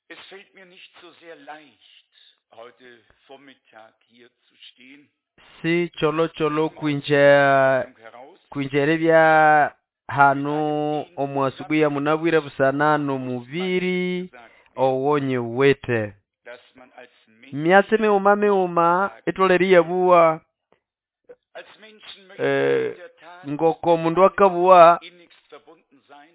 Es fällt mir nicht so sehr leicht, heute Vormittag hier zu stehen. Si cholocholo kwinja Heraus kwinja eribya hanu omu asubuhi ya munabwire busana n'omubiri owonyiwithe. dass man als Mensch, Myatsi mighuma mighuma itholere iyabuwa als Menschen möchte man in der Tat ngoko omundu akabuwa innigst verbunden sein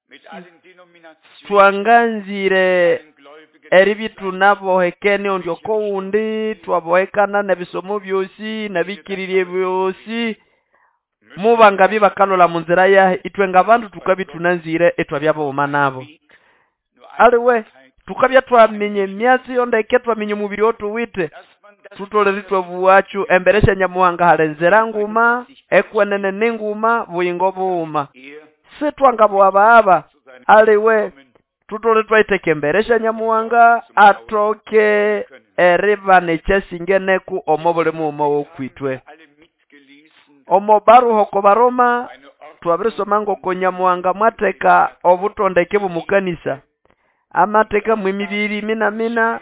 mit allen Denominationen, twanganzire allen Gläubigen, eribya ithunabohekene ondi okowundi twabohekana n'ebisomo byosi n'abikirirye byosi mubangabya bakalola munzira yahe ithwe ng'abandu tukabya ithunanzire ithwabya bughuma nabo. Weg, nur Aliwe Einigkeit, tukabya twaminya emyatsi yondeke twaminya omubiri othuwithe dass man das thutholere ithwabuwakyu embere sya Nyamuhanga hali enzira nguma ekwenene ninguma buyingo bughuma er sithwangabuwabaghaba zu seinem aliwe Kommen thutholere thwayitheka embere sya Nyamuhanga athoke eribana ekyasingeneku omo buli mughuma wokwithwe. alle mitgelesen, Omo baruha oko Baroma eine Ordnung twabirisoma ngoko Nyamuhanga mwatheka obutondeke bw'omukanisa amathekamu emibiri mina-mina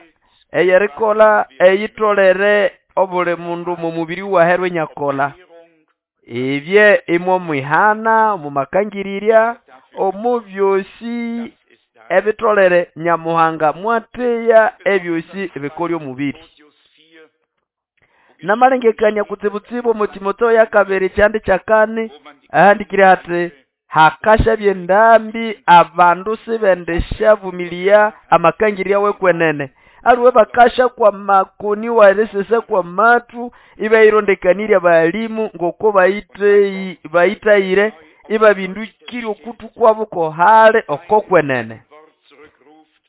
eyerikolha eyitholere obuli mundu omo mubiri waherwa inyakolha. Erklärung Ebye imwo mwihana omu makangirirya omu byosi das ist da. ebitholere Nyamuhanga mwatheya ebyosi ebikolya omubiri. Timotheus 4, Namalengekania kutsibutsibu omu Timotheo yakabiri kyandi kyakani wo man die ahandikire hathi hakashabya endambi abandu sibendisyavumilia amakangirya wekwenene aliwe bakasha kwa makoni warisesa kwa mathu ibayirondekanirya balimu ngoko bayitei bayitayire ibabindukirye okuthu kwabo kohali okokwenene Wort zurückruft,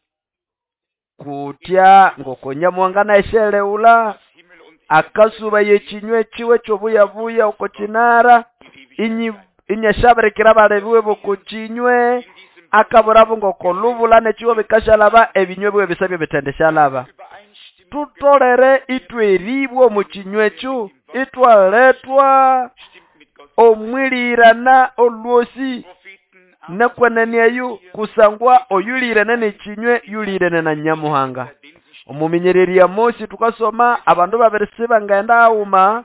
kutya ngoko Nyamuhanga nasyeleghulha dass Himmel und akasuba yekinywa kiwe kyobuyabuya oko kinara Erde inyi inyashabirikira abalebiwe boko kinywe in diesem akaburabo ngoko lubula nekiwo bikashalaba ebinywe biwe bisabye bithendeshalaba. Übereinstimmung Tutolere ithweribwa omu kinywa ekyo ithwaletwa stimmt mit Gott. omwilirana olwosi Propheten nekwenene eyo kusangwa oyulirene n'ekinywe yulirene na Nyamuhanga. den sie Omuminyereri ya Mosi tukasoma abandu babiri sibangaghenda haghuma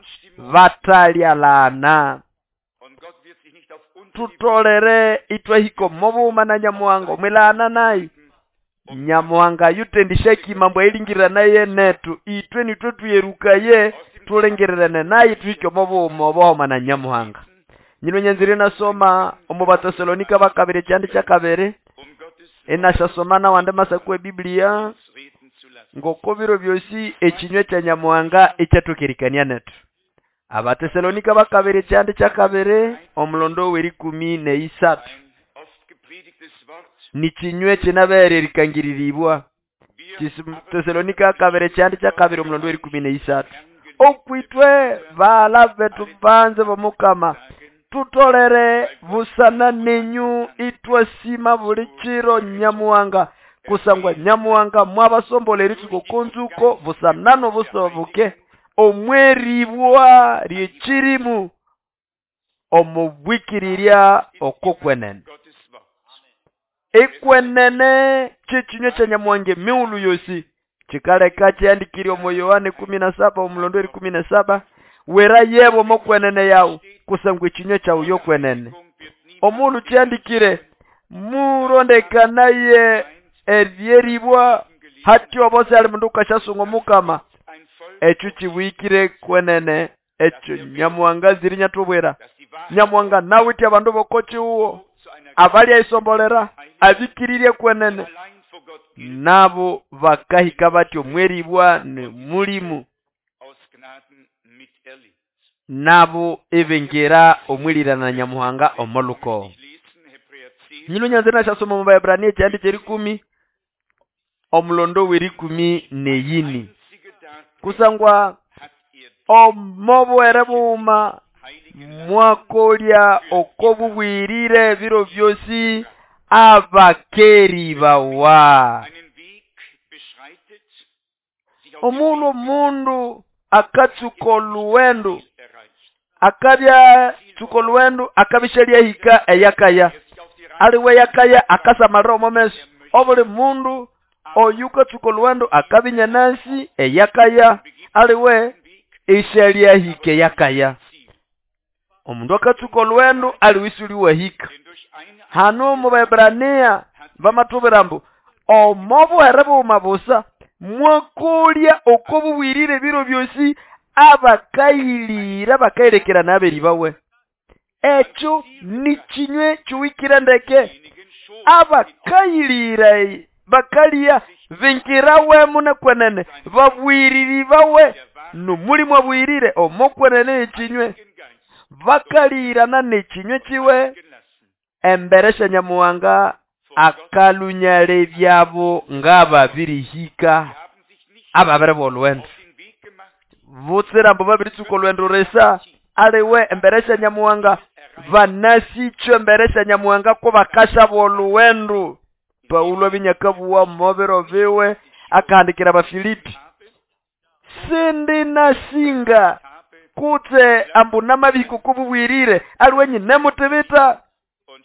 batalyalana. Und Gott wird sich nicht auf uns Tutolere ithwahika omo bughuma na Nyamuhanga omwilana naye. Nyamuhanga yuthendisya ambu ayilingirira naye nethu ithwe nithwe thuyerukaye thulingirirene naye thuhike omo bughuma obuhoma na Nyamuhanga. Nyino nyanzire nasoma omu Batesalonika bakabiri ekyandi kyakabiri um Gottes inasyasoma nawandi masaku ebibiliya uns reden zu lassen. ngoko biro byosi ekinywa kya Nyamuhanga ikyathukerikania nethu. Abatesalonika bakabiri ekyandi kyakabiri omulondo w'erikumi n'eisathu Ein oft gepredigtes Wort. nikinywa ekinabere erikangiriribwa. Wir Tesalonika kabiri ekyandi kyakabiri omulondo w'erikumi n'eisathu Herrn okwithwe bala bethu banze b'omukama sagen, tutolere busana nenyu ithwasima buli kiro Nyamuhanga kusangwa Nyamuhanga mwabasombolha eritsuka oko nzuko busana n'obusoboke omweribwa ly'ekirimu omu bwikirirya okokwenene. Gottes Wort. Ekwenene ky'ekinywa kya Nyamuhanga emighulhu yosi kikaleka kyahandikire omo Yohana 17 omulondo w'erikumi n'esaba wera yebo omo kwenene yawu kusangwa ekinywa kyawu yokwenene. Omundu kyahandikire murondekanaye eryeribwa hathya obo sihali mundu wukasyasunga omukama Ein Volk, ekyo kibwikire kwenene ekyo Nyamuhanga anzire inyathubwira. das die Wahrheit Nyamuhanga nawithe abandu b'oko kihugho zu einer abalyayisombolera abikirirye kwenene allein vor Gott gilt, nabo bakahika bathi omweribwa ni mulimu aus Gnaden miterlebt. nabo ibingira omwilirana na Nyamuhanga omo lukowo. Ich lesen Hebräer 10, Nyino nyanzire nasyasoma omu Baebrania ekyandi ky'erikumi omulondo w'erikumi n'eyini einzige Darträger kusangwa hat er omo buhere bughuma heiligen mwakolya oko bubwirire ebiro byosi abakeribawa. einen Weg beschreitet, sich auf dem Omundu Weg omundu akatsuka oluwendu erreicht. akabya tsuka oluwendu akabisyalyahika eyakaya Er sich auf die Reise aliwe yakaya akasamalira omo meso Obuli mundu oyukatsuka olhughendo akabinya nasi eyakaya aliwe isyalyahika eyakaya. Omundu akatsuka olhughendo aliwe isuliwahika. Hano mu Baebrania bamathubwira ambu omo buhere bughuma busa mwakolya oko bubwirire ebiro byosi abakayilira bakayirekera n'aberi bawe. Ekyo ni kinywe kyuwikire ndeke. Abakayilira bakalya bingirawemo munekwenene babwiriri bawe nomulimu abwirire omokwenene ekinywe bakalirana n'ekinywe kiwe embere sya Nyamuhanga akalunyale byabo ngababirihika ababere bolwendo butsira mbu babiritsuka olwendo resa aliwe embere sya Nyamuhanga banasichwe embere sya Nyamuhanga ko bakasha bolwendo. Paulo abinyakabuwa mobiro biwe akahandikira Abafilipi sindi nasinga kutse ambu namabiko kububwirire aliwe nyine mutibita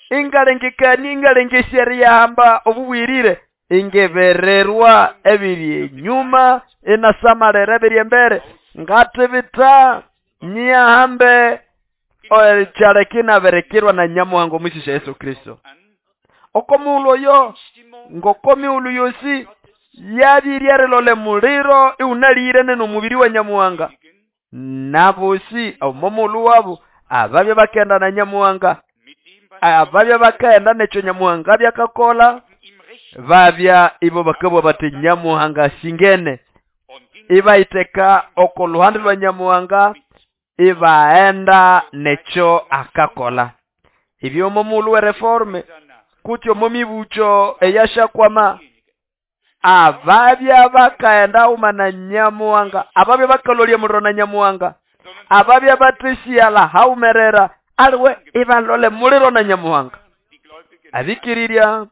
ingalengekani ingalengesya yahamba obubwirire ingebererwa ebiri enyuma inasamalera ebiri embere ngatibita nyihambe ekyalekinaberekerwa na Nyamuhanga omwisisya Yesu Kristo. Okomuulu oyo ngokomiulu yosi yabiryerelole muliro iunalirene n'omubiri wa Nyamuhanga nabosi omomulu wabo ababya bakenda na Nyamuhanga ababya bakaenda n'ekyo Nyamuhanga byakakola babya ibo bakabwa bati Nyamuhanga singene ibaiteka oko luhande lwa Nyamuhanga ibaenda n'ekyo akakola. Ibyo omomulu we reforme kutyo momibucho eyashakwama ababya bakaenda uma na Nyamuhanga ababya bakalolya muliro na Nyamuhanga ababya batesiyala haumerera aliwe ibalole muliro na Nyamuhanga abikirirya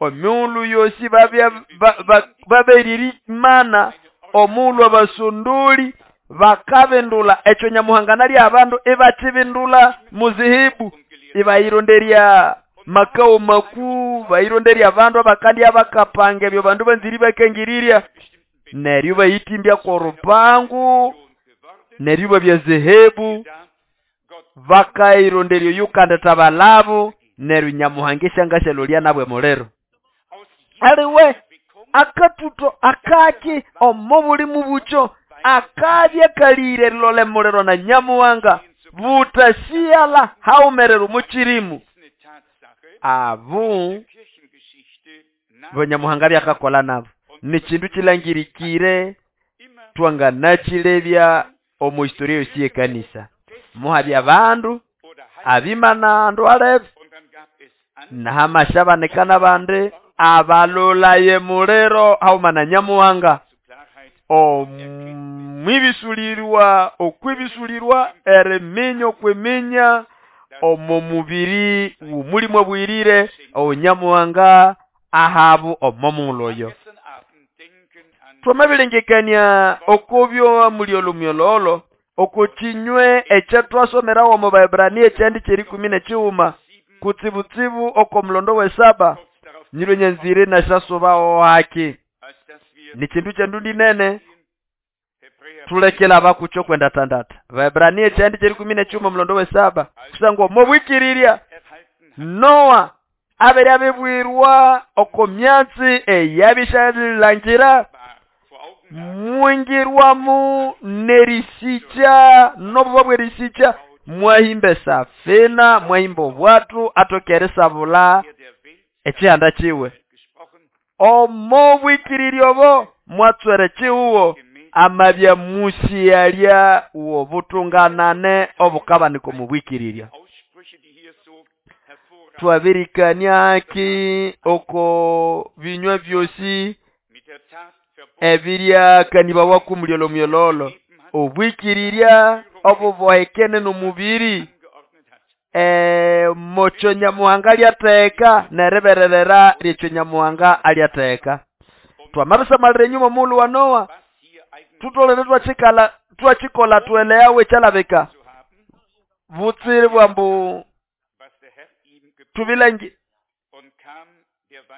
omiulu yosi babya baberiri mana omulu abasunduli bakabindula ekyo Nyamuhanga nali abandu ibakibindula muzihibu ibayironderya makao makuu baironderya abandu abakandi abakapanga ebyo bandu banziri bakengirirya neryo bayitimbya korupangu neryo babya zehebu bakaironderya yukandeta balabu neryo Nyamuhanga esyangashalolya nabwe muliro aliwe akatuto akaki omo buli mubucho akabya kalire lole muliro na Nyamuhanga butasiyala haumerero mukirimu. Abu Banyamuhanga byakakola nabo ni kindu kilangirikire twanganakilebya omu historia yosi yekanisa muhabya abandu abimana andu alebe nahamashabanekana bandi abalolaye muliro hauma na Nyamuhanga omwibisulirwa okwibisulirwa eriminya okwiminya omo mubiri w'omulimu obwirire Onyamuhanga ahabu omo muloyo. Twamabirengekania okubyo mulyolo myololo okukinywe ekyatwasomerawo omu Baebrania ekyandi kyerikumi n'ekighuma kutsibutsibu oko mulondo w'esaba nyiro nyanzire nasyasubawo haki ni kindu kyandundi nene tulekela abakucho kwenda tandata. Baebrania ekyandi kyerikumi n'ekighuma mulondo w'esaba kusangwa omobwikirirya Noa abere abibwirwa oko myatsi eyabishalangira mwingirwamu nerisicha nobuba bwerisicha mwahimba esafina mwahimba obwatu atokere sabula ekihanda kiwe omo bwikirirya obo mwatswere kiwuwo amabya musiyalya wobutunganane obukabaniko mubwikirirya. Twabirikania aki oko binywa byosi ebirya kanibawaku mulyolo myololo obwikirirya obubohekene n'omubiri mocho Nyamuhanga alyatheka nerebererera lyekyo Nyamuhanga alyatheka. Twamabisamalira enyuma omulhu wa Noa tutolere twakikala twakikola tweleawe ekyalabika butsiri bwambu tubilangi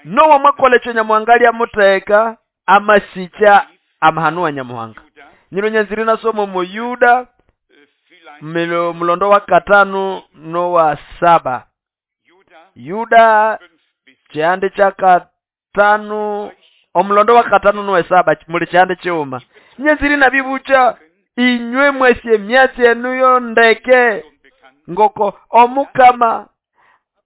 Nowa mwakola ekyo Nyamuhanga lyamutheka amasikya amahano wa Nyamuhanga. Nyino nyanzire nasoma omo Yuda mulondo wa 5 nowa 7. Yuda kyihande kya 5 omulondo wa 5 nowa 7 muli kyihande kiwuma. Nyanzire nabibucha inywe mwesye myatsi enu ndeke ngoko omukama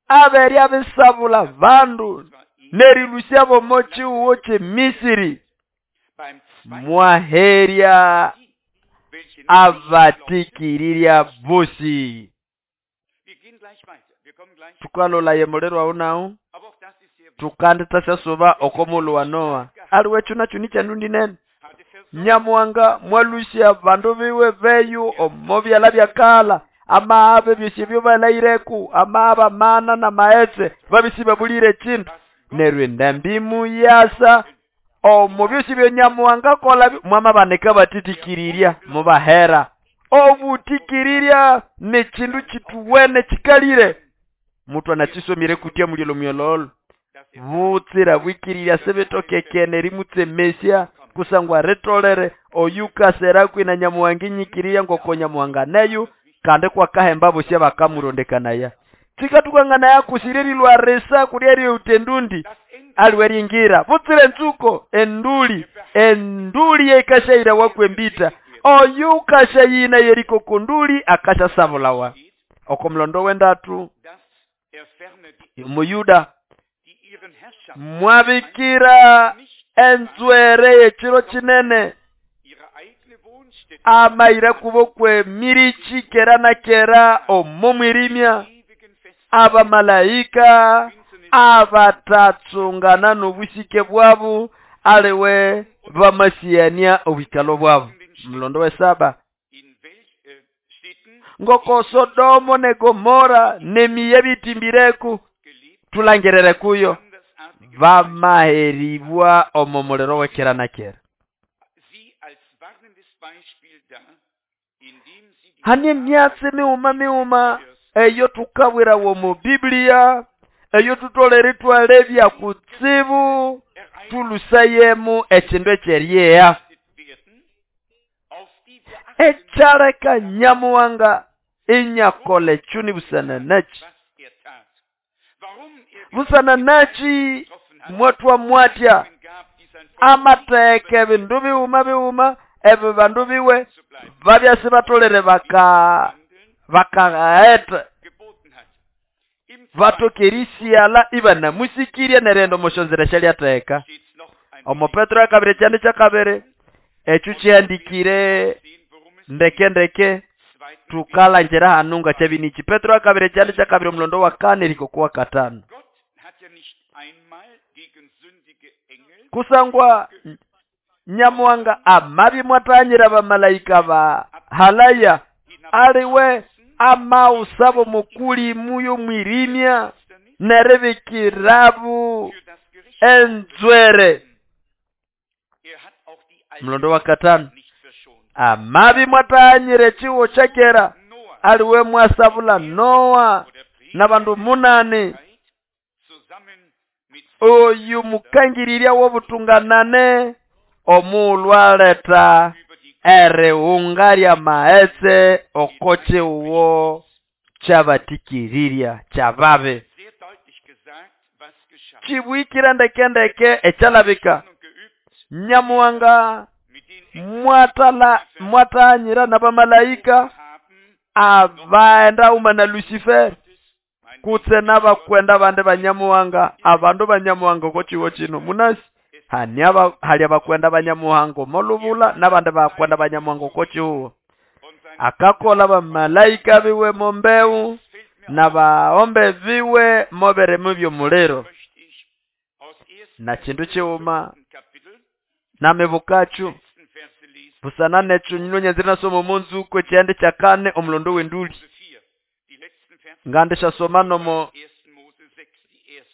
aberi abisabula bandu nerilusya bomo chiwo che Misiri mwaherya abatikirirya bosi. Tukalola ye muliro awo nawo tukandita syasuba okomulu wa Noa aliwe chuna chuni cha ndundi nene. Nyamuhanga mwalusya bandu biwe beyu omo byala byakala amaabe byosi byo balaireku amaaba mana na maetse babisi babulire chindu neryo endambi muyasa omo byosi byo Nyamuhanga kola mwamabaneka batitikirirya mubahera. Obutikirirya ni chindu chituwene chikalire mutu anachisomire kutia mulilo myololo butsira bwikirirya sebetokekene rimutsemesya kusangwa ritolere oyukasera kwina Nyamuhanga inyikiriya ngoko Nyamuhanga neyu kandi kwakahemba bosya bakamurondekanaya. Tikatukangana yakusiririlwa resa kuryeri utendundi aliweringira butsire nzuko enduli enduli yekashaira wakwembita oyukashayina yeriko kunduli akashasabulawa. Okomlondo wendatu Muyuda mwabikira enzwere yekiro kinene amaira kubokwe mirichi kera na kera omomwirimya abamalaika abatatsungana n'obusike bwabu aliwe bamasiyania obwikalo bwabu. Mlondo we 7 ngoko Sodomo ne Gomora nemiye bitimbireku tulangerere kuyo bamaheribwa omo muliro wekera na kera. Hane myatsi miuma miuma eyo tukabwira wo mu Biblia eyo tutolere twalebya kutsibu tulusayemu ekindu ekyeryeya ekyaleka Nyamuhanga inyakola echuni busana nachi busana nachi mwatwa mwatya amateke ebindu biwuma biwuma ebyo bandu biwe babyasi batolere bakaeta batokerisiala ibanamusikiria nerendo moshonzera shalyatheka. Omo Petro akabiri kyandi kyakabiri ekyo kyandikire ndeke ndeke tukalangira hanu nga kyabinichi. Petro akabiri kyandi kyakabiri omulondo wa 4 rikokuwa 5. Kusangwa Nyamuhanga amabi mwatanyira bamalaika ba halaya aliwe amausabo mukuli muyo mwirimya nerebikirabu enzwere. Mlondo wa 5 amabi mwatanyire chiwo chakera aliwe mwasabula Noa n'abandu 8 oyu mukangirirya wobutunganane omulwaleta eriwunga lya maetse okochiwo kyabatikirirya kyababe. Chibwikira ndekendeke ekyalabika Nyamuhanga mwatanyira n'abamalaika abaenda uma na Lucifer kutse n'abakwenda bande banyamuhanga abandu banyamuhanga okochiwo kino munasi hani hali abakwenda banyamuhanga molubula n'abandi bakwenda banyamuhanga okochiwo. Akakola bamalaika biwe mombeu n'abaombe biwe moberemu by'omuliro na kindu kiwuma namebukachu busana necho nyinonye zinasoma omunzuko kyande kya 4 omulondo w'enduli ngande shasoma nomo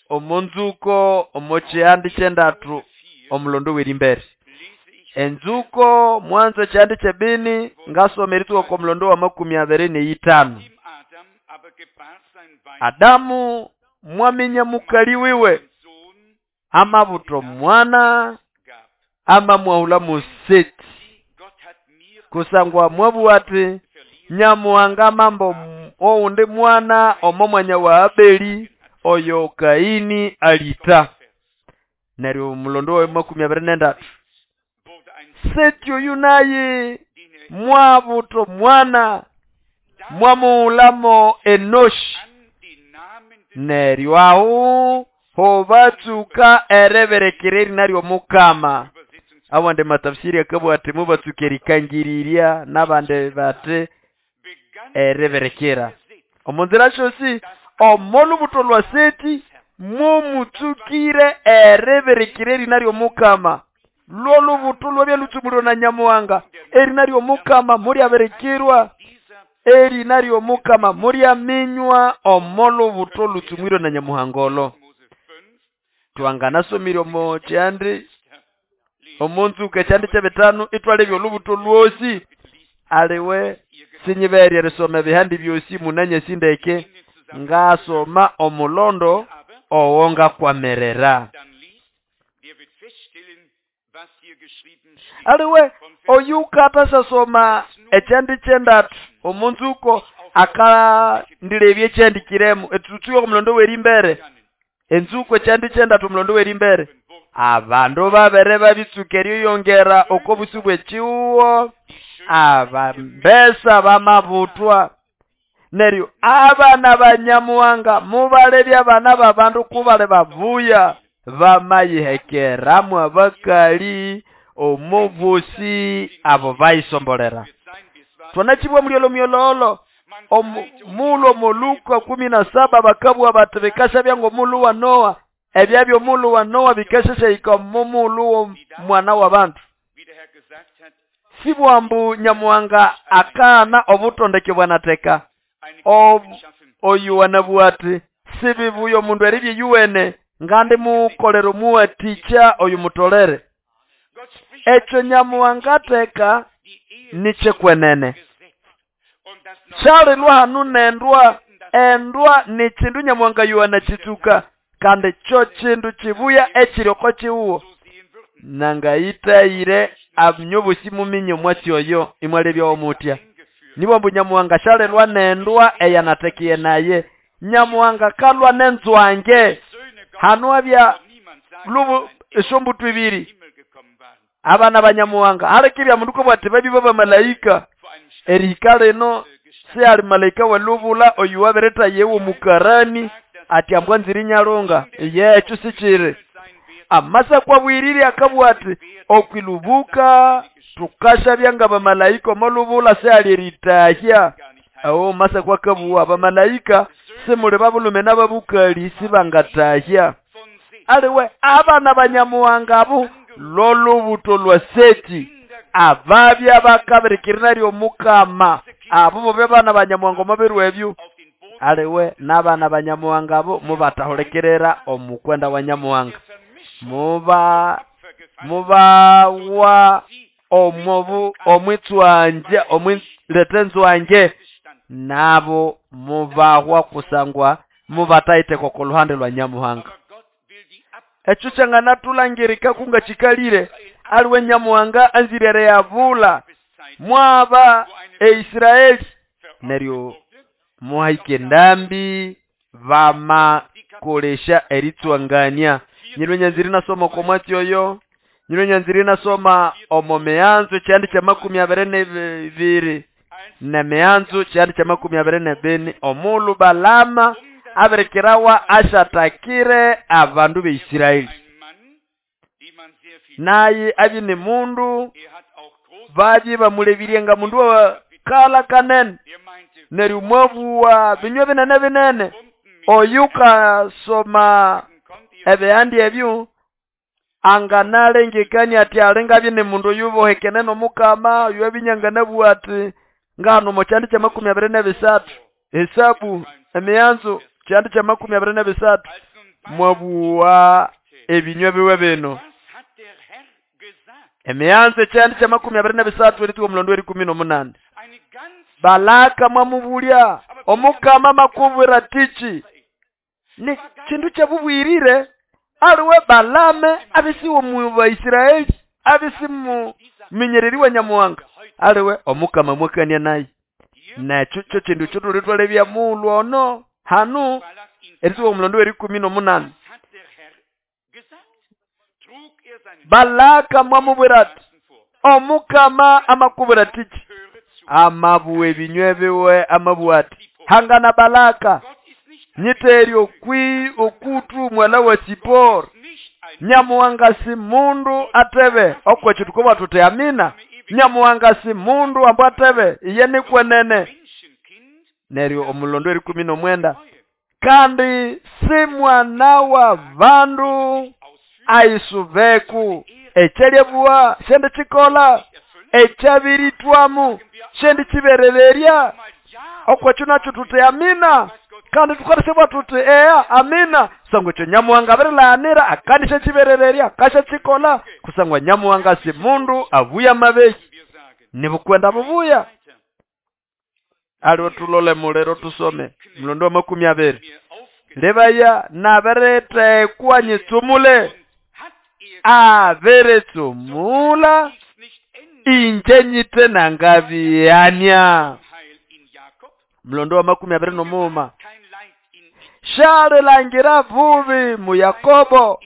omunzuko omo kyande kyendatu omulondo w'erimbere enzuko mwanzo kyande kyebini ngasoma erituko ko mulondo wa 25. Adamu mwaminya mukali wiwe Amabuta omwana amamwahula Museti, kusangwa mwabugha ati Nyamuhanga amamba owundi mwana omo mwanya wa Abeli oyo Kaini alita. Neryo omulondo wa 23, Seti oyu naye mwabuta omwana mwamuhulamo Enoshi. Neryo aho hobatsuka ereberekera erina ly'Omukama. Awandi matafsiri akabugha ati mubatsuka erikangiriria, n'abandi bati ereberekera. Omo nzira syosi omo lubuto lwa Seti mumutsukire ereberekera erina ly'Omukama. Lwo lubuto lwabya lutsumulirwe na Nyamuhanga, erina ly'Omukama mulyaberekerwa, erina ly'Omukama mulyaminywa omo lubuto lutsumwirwe na Nyamuhanga olo. Twanganasomire omo kyandi omo nzuka ekyandi ky'ebitano itwalebya olubuto lwosi. Aliwe sinyiberye erisoma ebihandi byosi munanyasi ndeke, ngasoma omulondo owo ngakwamerera. Aliwe oyu katasasoma ekyandi kyendatu omo nzuko akandilebya ekyandikiremo etutsuye omulondo w'erimbere. Enzuko ekyandi kyendatu omulondo w'erimbere. Abandu babere babitsuka eriyongera oko busu bw'ekiwuwo, abambesa bamabutwa. Neryo abana ba Nyamuhanga mubalebya abana b'abandu kubale bavuya, bamayihekeramu abakali omubusi abo bayisombolera. Twanachibwa mulyolo myololo omulo moluka 17 bakabwa bati bikasha byango mulu wa Noa, ebyabyo mulu wa Noa bikashashayika mumulu wo mwana wa bantu. Sibwambu Nyamuhanga akana obutondeke bwanateka oyu wanabwati sibibuyo mundu eribye yuwene ngandi mukolero muwaticha oyu mutolere. Ekyo Nyamuhanga teka nichekwenene. Kyalilwa hanu nendwa endwa ni kindu Nyamuhanga yuwana chituka kandi kyo kindu kibuya ekiri kiwuwo. Nangayitayire abnyobosi muminye omwatsi oyo imwalebya omutya. Nibwambu Nyamuhanga kyalilwa nendwa eyanatekiye naye. Nyamuhanga kalwa nenzwange hanu abya lubu esombutu ibiri abana ba Nyamuhanga alekibya mundu bwati babi b'abamalaika erihika lino si ali malaika welubula oyu wabereta yewo mukarani ati ambwa nziri nyalunga yekyo sikiri. Amasa kwabwirire akabwati okwilubuka tukasha byanga bamalaika omolubula si ali eritahya. Awo masa kwakabuwa abamalaika simuli babulume n'ababukali sibangatahya. Aliwe abana ba Nyamuhanga abo lolubuto lwa Seti ababya bakabirikirira ly'Omukama abo bobe bana ba Nyamuhanga omubirwe ebyo. Aliwe n'abana ba Nyamuhanga abo mubatahulikirira omukwenda wa Nyamuhanga, mubawa omobu omwitswanje omwilete nzwanje nabo mubahwa kusangwa mubatayiteko ku luhande lwa Nyamuhanga. Ekyo kyanganatulangirika kunga kikalire aliwe Nyamuhanga anzirere yavula mwaba eIsraeli neryo muhaike ndambi bamakolesha eritswangania. Nyirwe nyanziri nasoma ko mwatsi oyo, nyirwe nyanziri nasoma omo meanzo kyandi kya 22 na meanzo kyandi kya 24 omulu Balama aberekerawa ashatakire abandu b'Israeli. Naye abi ni mundu baji bamulebirie nga mundu wa kala kanene neryo mwabuwa binywa binene binene. Oyuka soma ebihandi ebyo anganalengekania ati alenga bine mundu yubohekene n'Omukama oyo ebinyanganabuwa ati ngano mu kyandi kya 23 Hesabu emianzo kyandi kya 23 mwabuwa ebinywa biwe bino. Emianzo kyandi kya 23 erituwa omulondo eri 18. Balaka mwamubulya Omukama makubwira tichi ni kindu kyabubwirire. Aliwe Balame abisiwe mu Baisraeli, abisi mu minyereri wa Nyamuhanga. Aliwe omukama mwakania naye. Nekyo kyo kindu ekyo thulitwalebya mughulhu ono hanu erisuka omulondo w'erikumi n'omunani. Balaka mwamubwira ati, omukama amakubwira atiki? Amabuwa ebinywa biwe amabuwa ati, hangana Balaka, nyiterye okutu mwala wa Sipori. Nyamuhanga si mundu atebe okwekyo tukoba tuti amina. Nyamuhanga si mundu ambu atebe iye nikwenene. Neryo omulondo w'erikumi n'omwenda, kandi si mwana wa bandu aisubeku ekyalyabuwa shendi kikola, ekyabiritwamu shendi kiberererya. Okwekyo nakyo tuti amina, kandi tukarisebwa tuti eya amina. Kusangwa ekyo Nyamuhanga abirilaanira akandisha kiberererya akasha kikola. Kusangwa Nyamuhanga si mundu abuya amabehi, nibukwenda bubuya. Aliwe tulole mulero tusome mulondo wa 20. Lebaya nabiretekwa nyitsumule, abiritsumula inje nyite nangabiyania. Mulondo wa 21. Shalilangira bubi mu Yakobo,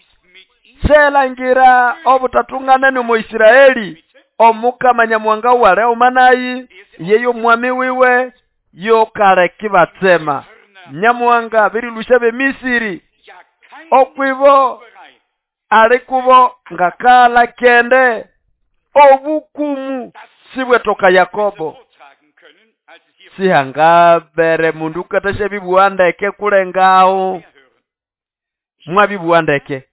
shelangira obutatungana mu Israeli. Omukama Nyamuhanga wale omanayi yeyo mwami wiwe yokaleki batsema. Nyamuhanga abirilusha b'Emisiri okwibo alikubo ngakala kende obukumu sibwetoka Yakobo. Sihangabere mundu katasha bibuandeke kulengawo mwabibuandeke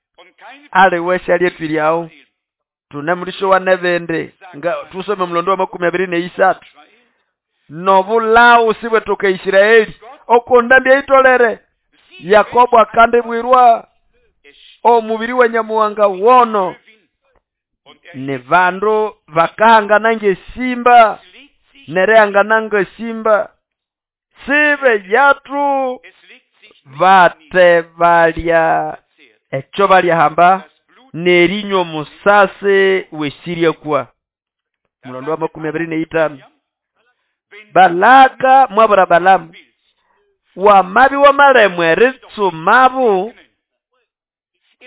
aliwe shalyetwiryawo tunemulisho wa nebende nga tusome mulondo wa 23. Nobulawu sibwetoka Israeli okondambya itolere. Yakobo akandibwirwa omubiri wa Nyamuhanga wono ni bandu bakahangana ngesimba nerehangana ngesimba sibe yatu bate balya ekyo balyahamba nerinywa omusase wesirya kwa. Mulondo wa 25. Balaka mwabura Balamu wamabi wamalemwe eritsumabu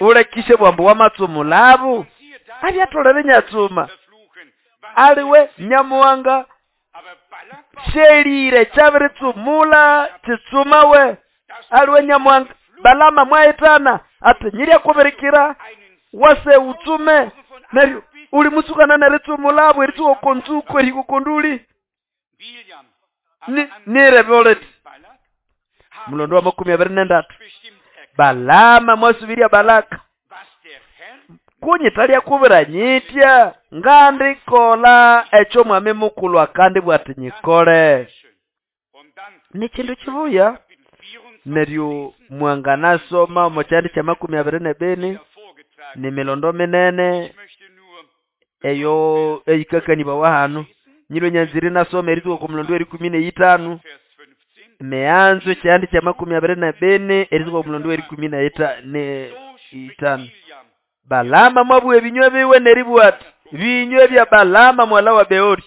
ulekishe bwambu wamatsumulabu abyatolere nyatsuma. Aliwe Nyamuhanga shelire kyabiritsumula kitsumawe. Aliwe Nyamuhanga Balama mwahitana ati nyirya kubirikira wase utsume neryo uli musukana neritsumulabu eritsuka okonzuko erikukonduli nireboleti. Mulondo wa 23. Balama mwasubiria Balaka, kunyitalya kubira nyitya ngandikola ekyo mwami mukulu akandi bwati nyikole. Ni kindu kibuya. Neryo mwanganasoma omu kyandi kya 22 ni milondo minene eyo eyikakanibawa hanu. Nyiro nyanziri nasoma erituka ku mulondo w'erikumi n'eitano. Meanzo kyandi kya 22 erituka ku mulondo w'erikumi n'eitano. Balama mwabuwa ebinywa biwe neribwati binywa bya Balama mwala wa Beori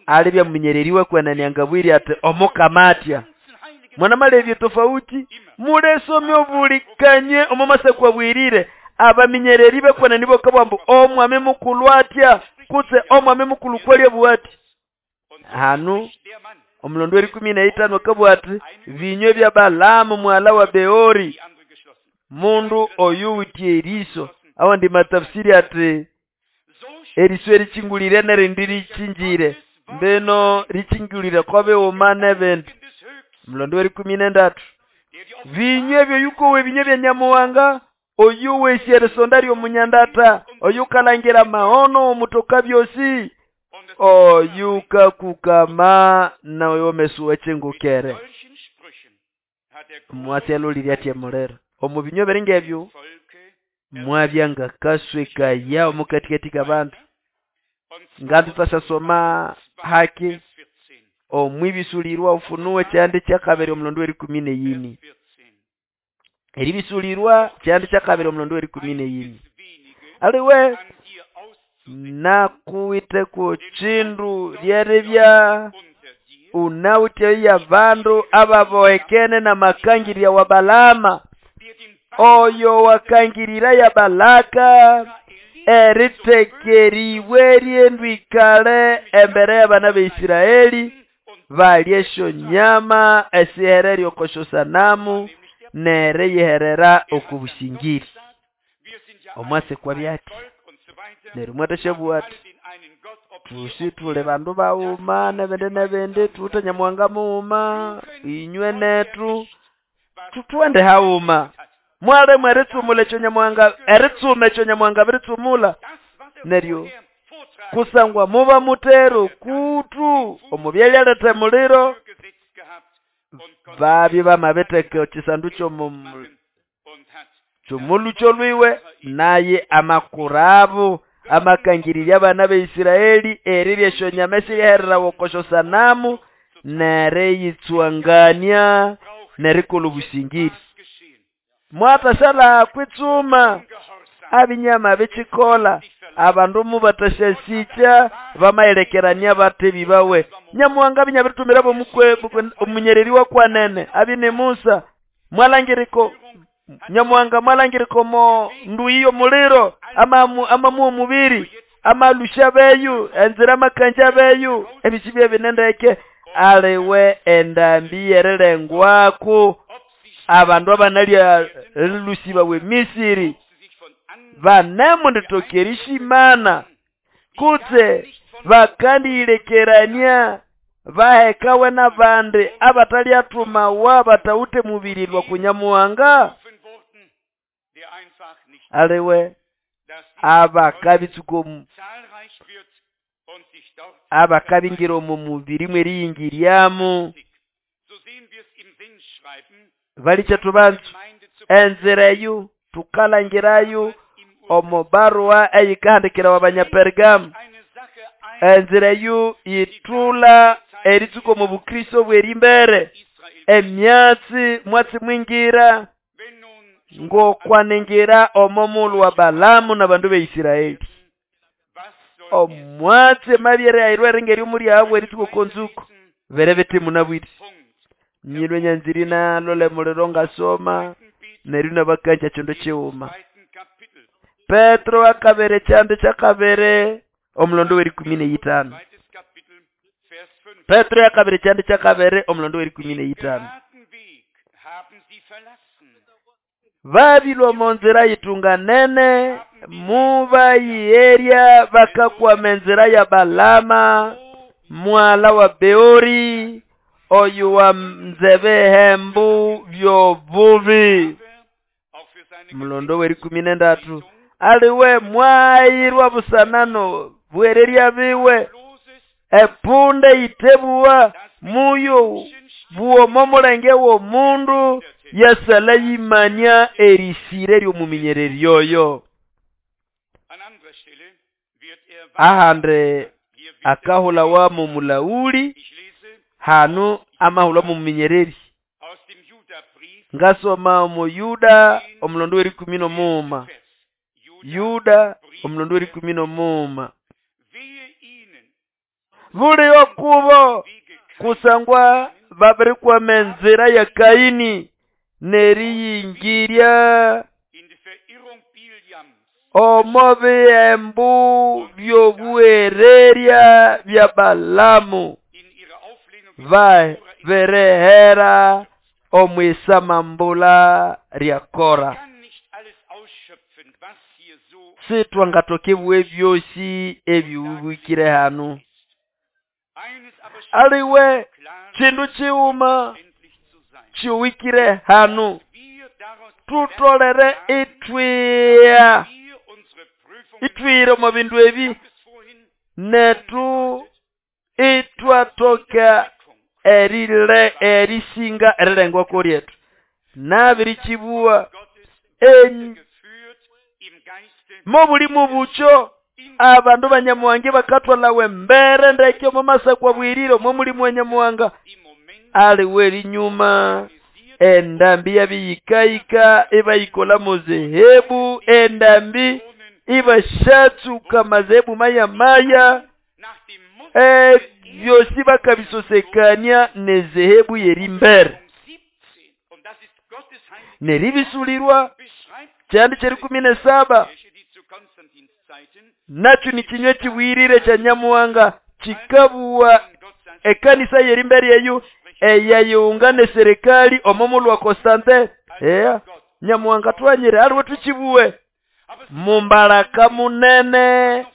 alibya muminyereriwe kwenanianga bwiri ati omukama atya. Mwana malebye tofauti mulesomye obulikanye omumasa kwabwirire abaminyereri bekwenani bokabwambu omwami mukulu atya kutse omwami mukulu kwalye bwati. Hanu omulondo w'erikumi n'eitano akabwati binywa bya Balaamu mwala wa Beori mundu oyu witye eriso. Awo ndi matafsiri ati eriso erichingulire nerindi richinjire mbeno richingulire kobe umane bende. Mulondo w'erikumi n'endatu binywa ebyo yuko we binywa bya Nyamuhanga oyu wesye sondari omunyandata oyu kalangira maono omutoka byosi oyu kakukama nawe omesuwe chengukere. Mwatelo liryatye mulero omu binywa beringebyo mwabyanga kasweka yao mukatikati kabantu. Ngandu tasasoma haki omwibisulirwa ufunuwe kyandi kyakabiri omulondo w'erikumi n'eyini. Eribisulirwa kyandi kyakabiri omulondo w'erikumi n'eyini. Aliwe nakuwiteko kindu lyeribya unawite ya bandu ababohekene n'amakangirya wa Balama, oyo wakangirira ya Balaka eritekeriwe ryendwikale embere y'abana b'Isiraeli balye esyonyama esihererya oko syosanamu neriyiherera oko busingiri. Omwase kwabya ati neryo mwathasyabuwa ati thusi thuli bandu baghuma nebindi nebindi, thuwithe Nyamuhanga mughuma, inywe nethu thuthwende haghuma. Mwalemwa eritsumula ekyo Nyamuhanga, eritsuma ekyo Nyamuhanga abiritsumula. Neryo kusangwa muba mutera okuthu omo byalyaletha emuliro, babye bamabitheka ekisandu ky'omulhukyo lwiwe, naye amakurabo amakangirirya abana b'Isiraeli erirya esyonyama esiryahererawa oko syosanamu neriyitswangania nerikolha obusingiri. Mwathashalha kwitsuma abinyama bikikolha, abandu mubathasyasikya bamayilekerania bathi bibawe. Nyamuhanga abinyabirithumira omunyereri wakwanene abye ni Musa. Mwalangiriko Nyamuhanga mwalangiriko mo nduyi y'omuliro amamuha omubiri amalusha beyu enzira amakanja beyu ebisi byebinendeke aliwe endambi yerilengwaku abandu abanalya lusibawe Misiri banemunditoka erishimana kutse bakandiyilekerania bahekawe n'abandi abataliathumawa batawithe mubiri lwa kunyamuhanga. Aliwe abakabingira omo mubiri mweriyingiryamu balikethu banzu enzira eyo tukalangirayo omo barua eyikahandikirawa Abanyapergamu. Enzira eyo yithula eritsuka omo bukristo bw'erimbere emyatsi mwatsi mwingira ngokwaningira omo mulhu wa Balamu n'abandu b'Isiraeli. Omwatsi emabyere ayirwe eringa omuli abo eritsuka oko nzuko bere bithi munabwire. Nyilwe nyanziri nalole muliro ngasoma neryo nabakanja kindu kighuma. Petro akabere kyandi kyakabere omulondo w'erikumi n'eyithanu. Petro yakabere kyandi kyakabere omulondo w'erikumi n'eyithanu. Babilwa omo nzira yitunganene mubayiyerya bakakwama enzira ya Balama mwala wa Beori oyo wa nzebehembu by'obubi. Mulondo w'erikumi n'endatu aliwe mwayirwa busanano bwererya biwe epunde yitebuwa muyo buomo mulenge w'omundu yasala yimanya erisire ly'omuminyereri oyo. Ahande akahulawa mu mulauli hanu amahulwa mu muminyereri. Ngasoma omu Yuda omulondo w'erikumi n'omuuma. Yuda omulondo w'erikumi n'omuuma. Buli okubo kusangwa babirikwama enzira ya Kaini neriyingirya omo bihembu by'obuhererya bya Balamu baberehera omwisamambula lya Kora. Sitwangatokebwa ebyosi ebiwibwikire hanu. Aliwe kindu kighuma kiwikire hanu tutolere itwiya itwire omo bindu ebi netu itwatoka erile erisinga erilengwako lyethu nabirikibuwa mobuli mubucho abandu banyamuhange bakathwalawa embere ndeke omo masakwa bwirire omo mulimu wa Nyamuhanga aliwe erinyuma Endambi yabiyikayika ibayikola muzehebu, endambi ibashatsuka mazehebu maya maya, byosi bakabisosekania nezehebu yerimbere neribisulirwa. Kyandi kyerikumi nesaba nakyo ni kinywa kibwirire kya Nyamuhanga kikabuwa ekanisa yerimbere eyo eyayunga neserikali omo lwa Constantin. Eya Nyamuhanga twanyire aliwe tukibuwe mumbaraka munene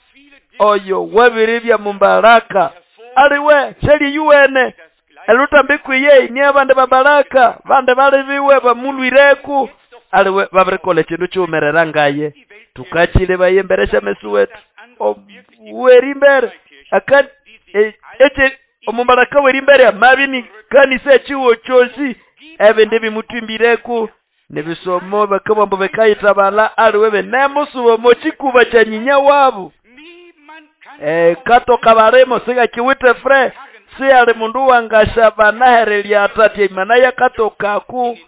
oyo wabiribya mumbaraka aliwe shali yuwene elutambi kwiye ni abande babaraka bande balibiwe bamulwireku aliwe babirikola ekindu kiwumerera ngaye tukachile bayemberesha mesu wetu werimbere aka eche omumbaraka werimbere amabini kanisa ekiwo kyosi ebindi bimutwimbireku nebisomo bakabambo bekayitabala aliwe benemusubo mochikuba kya nyinya wabu katoka baremo sigakiwite fre siyali mundu wangashabanaherelya atatya imana yakatokaku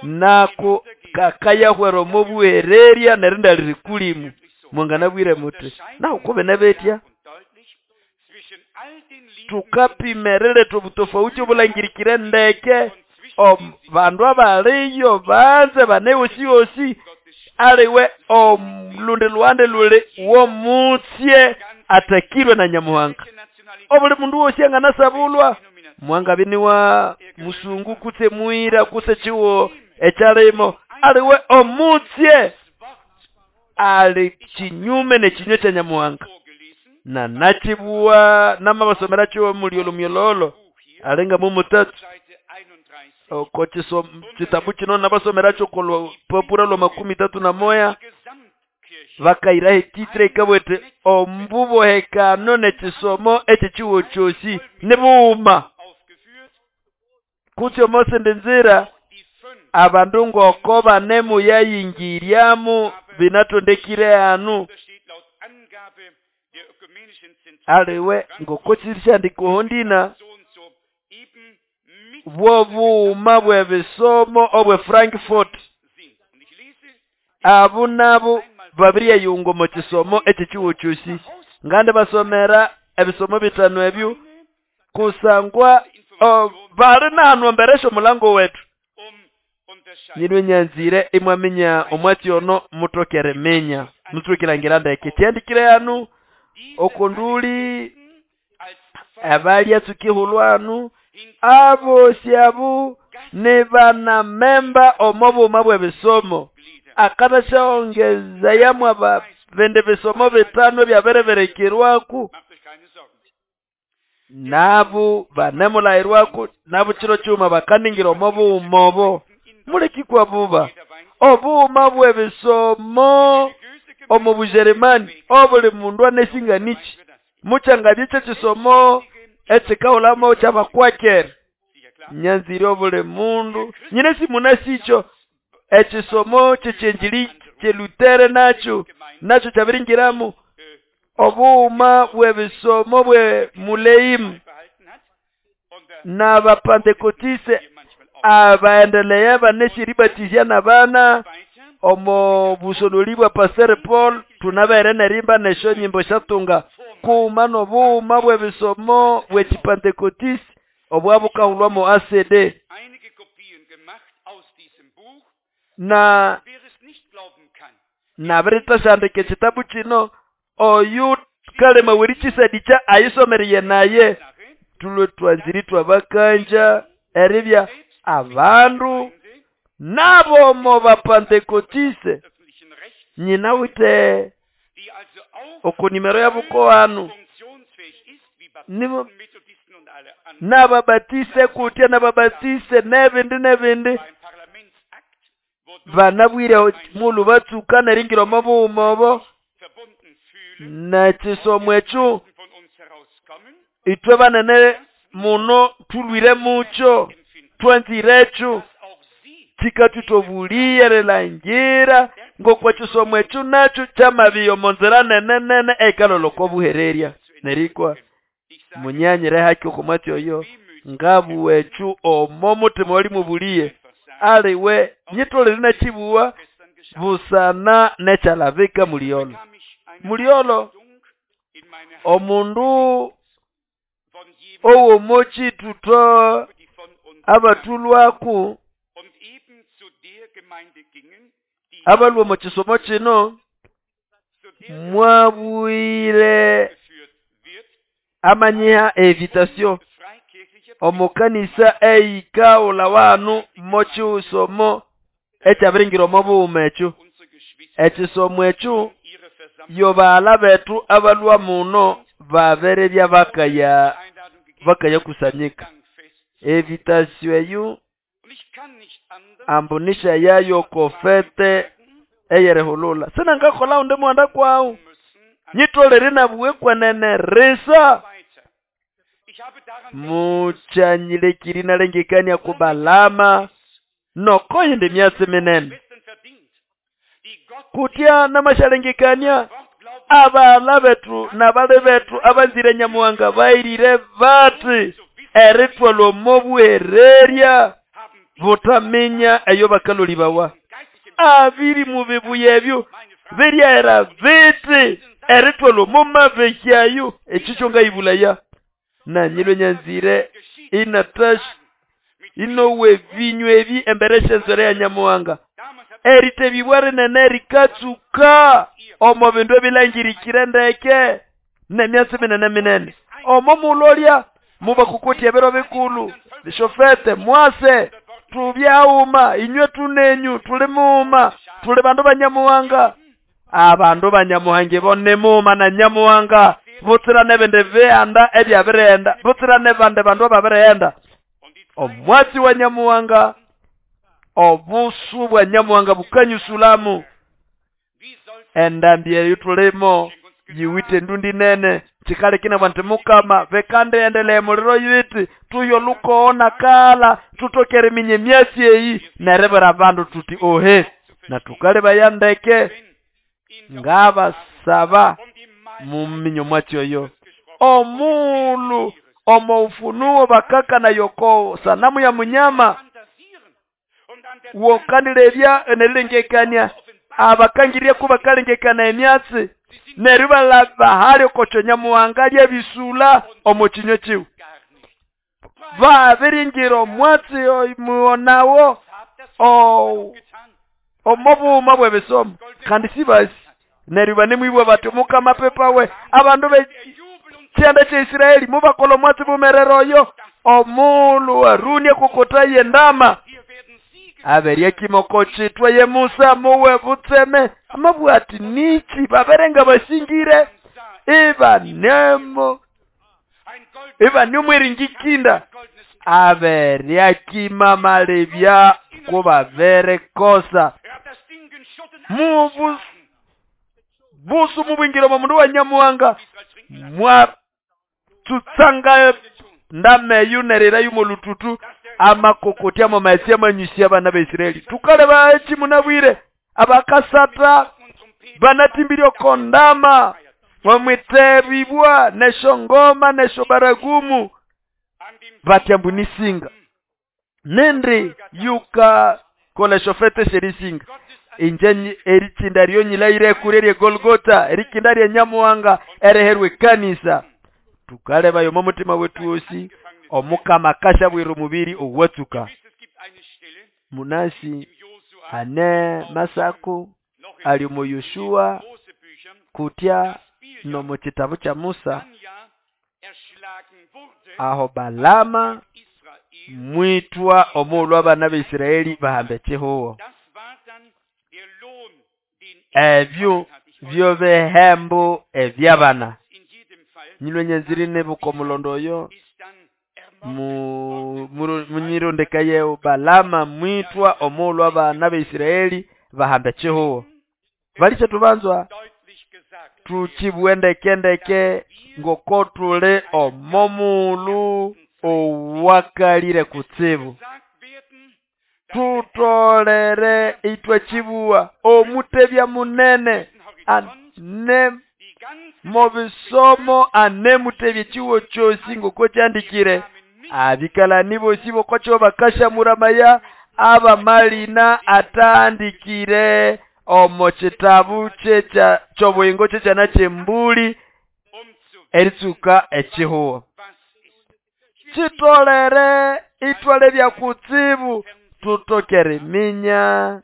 nako kakayahwera omubuhererya nerinda liri kulimu mwanganabwire muti naho kube nebetya tukapimerere tobutofauti obulangirikire ndeke bandu abaliyo banze bane osi aliwe omulundi lwande luli womutsye atakirwe na Nyamuhanga. Obuli mundu wosi anganasabulwa mwanga biniwa musungu kutse muira kutse chiwo echalimo aliwe omutsye ali chinyume nechinywe cha Nyamuhanga. Na nachibuwa namabasomera chiwo muliolo myololo alenga mumutatu oko chitabu chino nabasomera choko popura lwa 31 vakaira hetitre ikabwete ombubohekano nechisomo echichiwo chosi nibuuma kutyo mose ndenzira abandu ngoko banemu yayingiryamu binatondekire anu aliwe ngoko chirishandikohondina bwobuuma bwebisomo obwe Frankfurt abu nabo babiriyayunga omu kisomo ekikiwo kyosi ngandi basomera ebisomo bitano ebyo kusangwa bali nahanu emberesha omulango wetu nyinwe nyanzire imwaminya omwatsi ono mutokere minya mutsukirangira ndeke kyandikire hanu okunduli abalya tsukihulwanu abosi abu ni bana memba omobuma bwebisomo akatashaongeza yamwe bende bisomo bitano byabereberekerwaku nabu banemulairwaku nabu chiro chuma bakaningira omobuuma obo mulekikwa buba obuuma bwebisomo omu Bujerumani obuli mundu anesinganichi muchangabye kisomo ekikahulamo kyabakwakere nyanzire obuli mundu nyine simunasicho ekisomo kyekyenjiri kyelutere nakyo nakyo kyabiringiramu obuuma bwebisomo bwe muleimu n'abapantekotise abaendelea baneshiribatizya n'abana omo busonoli bwa Pastor Paul tunabere nerimba nesho nyimbo shatunga kuma nobuuma bwebisomo bwekipantekotisi obwabukahulwamo ACD na nabirittashandika ekitabu kino oyu kalema werikisadicha ayisomeriye naye tulwe twanziri twabakanja eribya abandu nabo bapantekotise nyina wite okunimero yabuko hanu nababatise kutya nababatise nebindi nebindi banabwire mulu batsuka neringira omubuuma obo nekisomo ekyo itwe banene muno tulwire mucho twanzire ekyo kikathutobuliye rilangira ngokwa kisomo ekyo nakyo kyamabiyo omonzira nene nene eikaloloko obuhererya nerikwa munyanyire haki okomwatsi oyo ngabu ekyo omo mutima oli mubuliye. aliwe nyitolere nachibuwa busana nechalabika muliolo muliolo omundu owomochituto abatulwaku abalwa omu kisomo kino mwabwire amanyiha evitasio omukanisa eyikaula wanu mochisomo ekyabiringira omo bughuma ekyo ekisomo ekyo yobaghala bethu abalwa muno babirebya bakaya bakayakusanyika evitasio eyo ambunisha yayo kofete eyerehulula sinangakola undi mwanda kwawu nyitolere nabuwe kwenene risa muchanyilekiri nalengekania kubalama nokoyindi myatsi minene kutya namashalengekania abala bethu nabali bethu abanzire nyamuhanga bairire bati erithwalwa omo buhererya butaminya eyo bakaloli bawa abiri mubibuya ebyo biryahera biti erithwalwa omo mabehyayo ekikyo ngayibulaya nanyilwe nyanzire inatash inowe binywa ebi embere syenzwere ya nyamuhanga eritebibwa rinene rikatsuka omo bindu ebilangirikire ndeke nemyatsi minene minene omo mulolya mubakukutya ebiro bikulu bishofete mwase tubyauma inywe tunenyu tuli muuma tuli bandu banyamuhanga abandu banyamuhanga bo nimuuma na nyamuhanga butsira nebindi bihanda ebyabirighenda butsira nebandi bandu ababirighenda omwatsi wa nyamuhanga obusu bwa nyamuhanga bukanyusulamu endambi eyo tulimo yiwite endundi nene chikalekina bwanti mukama bekandiendelee muliro yiti tuyo lukoona kala tutokere minye myasi eyi nerebera bandu tuti ohe na tukalebaya ndeke ngabasaba muminyo mwatsi oyo omulu omo ufunuo bakaka yoko sanamu ya munyama wokandirebya enerilengekania abakangiria kubakalengekana emyatsi neryo balabahali okocho nyamuhanga lyebisula omo kinywa kiwe babiringira omwatsi muonawo omo bughuma bw'ebisomo kandi sibasi neryo banemwibwa bati omukama pepawe abandu bekyanda kya Isiraeli mubakola omwatsi bumerere oyo omulu Haruni akokota yendama aberya kimoko chitwa ye Musa muwe butseme amabwati nichi baberenga basingire ibanemo ibanomweringikinda aberya kimamalebya kubabere kosa mubu busu mubwingira mu mundu wa nyamuhanga mwa tutsanga ndameyu nerera yumolututu amakokotya mamayesi amanyusi abana ba Isiraeli tukaleba eki munabwire abakasata banatimbirye okondama bamwitebibwa neshongoma neshobaragumu batyambu nisinga nindi yuka koleshofete sherisinga inje erichinda ryonyilaire kurerye Golgota erikinda rye nyamuhanga ereherwe kanisa tukaleba yomo mutima wetu osi omukama kashabwira omubiri owatsuka munasi ane masako ali mu Yoshua kutya no mu kitabu kya Musa aho Balama mwitwa omulhu abana ba Isiraeli bahambe kihuho ebyo byo bihembo ebyabana nyilwe nyenziri nebuko mulondo oyo munyirondeka yewu Balama mwitwa omulhu abana ba Isiraeli bahambe kihuho balishe tubanzwa tuchibwendekendeke ngoko tuli omomulu owakalire kutsibu tutolere itwe chibuwa omutebya munene ane mobisomo ane mutebye chiwo chosi ngoko kyandikire abikalani bosi bokocho bakasha muramaya abamalina atandikire omo kitabu ky'obuyingo kyekyana ky'embuli eritsuka ekihuho. Kitolere itwale byakutsibu tutoke eriminya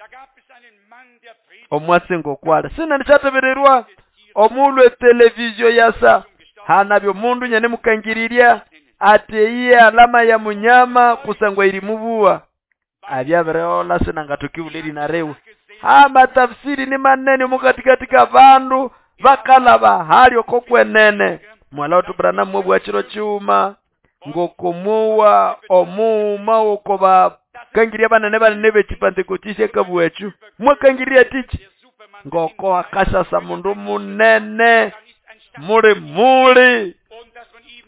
omwatsi ngokwale. Sinandisyatebererwa omulhu etelevizio yasa hanabya omundu nyanemukangirirya ati eyiye alama ya munyama kusangwa iri mubuwa abyabirehola sinangatokibula erina riwe. Amatafsiri ni manene omukatikati k'abandu bakalaba hali oko kwenene. Mwala wetu Branham mwobwa kiro kiwuma ngokomuwa omuuma oko bakangirya banene banene b'ekipantekotisi akabwekyu mwakangirya tiki ngoko akasasa mundu munene muli muli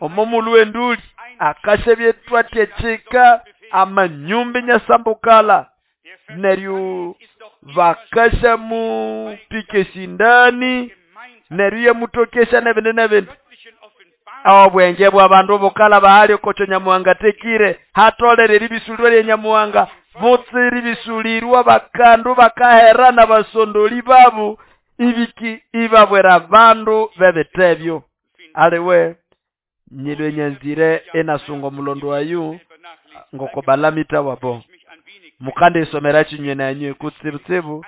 omo mulu w'enduli akasha byetwatya kika amanyumba nyasambukala neryo bakasha mupika esindani neryo yamutokesha n'ebindi n'ebindi. Obwenge bw'abandu bukala bahali okokyo Nyamuhanga atekire hatolere eribisulirwa lya Nyamuhanga butsiri bisulirwa bakandu bakahera n'abasondoli babu ibiki ibabwera abandu b'ebitebyo. Aliwe nyilwe nyanzire enasunga omulondo wayu ngoko balamita wabo mukande isomera kinywe nanywe kutsibutsibu